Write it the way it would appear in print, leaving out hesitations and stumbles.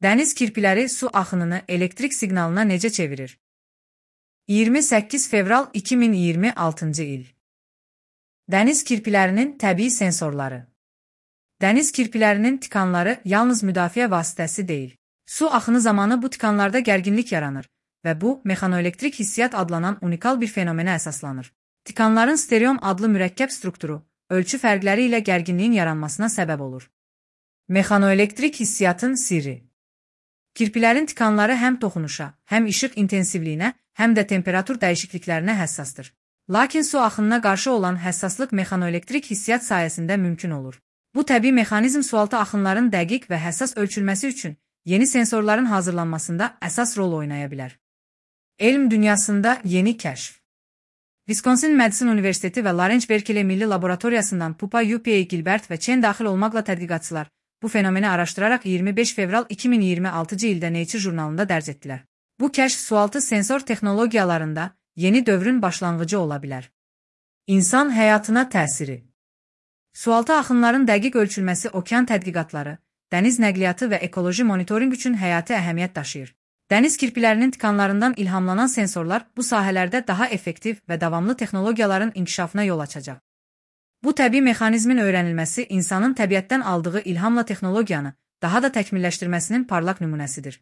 Dəniz kirpiləri su axınını elektrik siqnalına necə çevirir? 28 fevral 2026-cı il. Dəniz kirpilərinin təbii sensorları. Dəniz kirpilərinin tikanları yalnız müdafiə vasitəsi deyil. Su axını zamanı bu tikanlarda gərginlik yaranır və bu, mexanoelektrik hissiyat adlanan unikal bir fenomenə əsaslanır. Tikanların stereom adlı mürəkkəb strukturu, ölçü fərqləri ilə gərginliyin yaranmasına səbəb olur. Mexanoelektrik hissiyatın sirri. Kirpilərin tikanları həm toxunuşa, həm işıq intensivliyinə, həm də temperatur dəyişikliklərinə həssasdır. Lakin su axınına qarşı olan həssaslıq mexanoelektrik hissiyat sayəsində mümkün olur. Bu təbii mexanizm sualtı axınların dəqiq və həssas ölçülməsi üçün yeni sensorların hazırlanmasında əsas rol oynaya bilər. Elm dünyasında yeni kəşf. Wisconsin Madison Universiteti və Lawrence Berkeley Milli Laboratoriyasından Pupa, UPA, Gilbert və Chen daxil olmaqla tədqiqatçılar bu fenomeni araşdıraraq 25 fevral 2026-cı ildə Nature jurnalında dərc etdilər. Bu kəşf sualtı sensor texnologiyalarında yeni dövrün başlanğıcı ola bilər. İnsan həyatına təsiri. Sualtı axınların dəqiq ölçülməsi okean tədqiqatları, dəniz nəqliyyatı və ekoloji monitorinq üçün həyati əhəmiyyət daşıyır. Dəniz kirpilərinin tikanlarından ilhamlanan sensorlar bu sahələrdə daha effektiv və davamlı texnologiyaların inkişafına yol açacaq. Bu təbii mexanizmin öyrənilməsi insanın təbiətdən aldığı ilhamla texnologiyanı daha da təkmilləşdirməsinin parlaq nümunəsidir.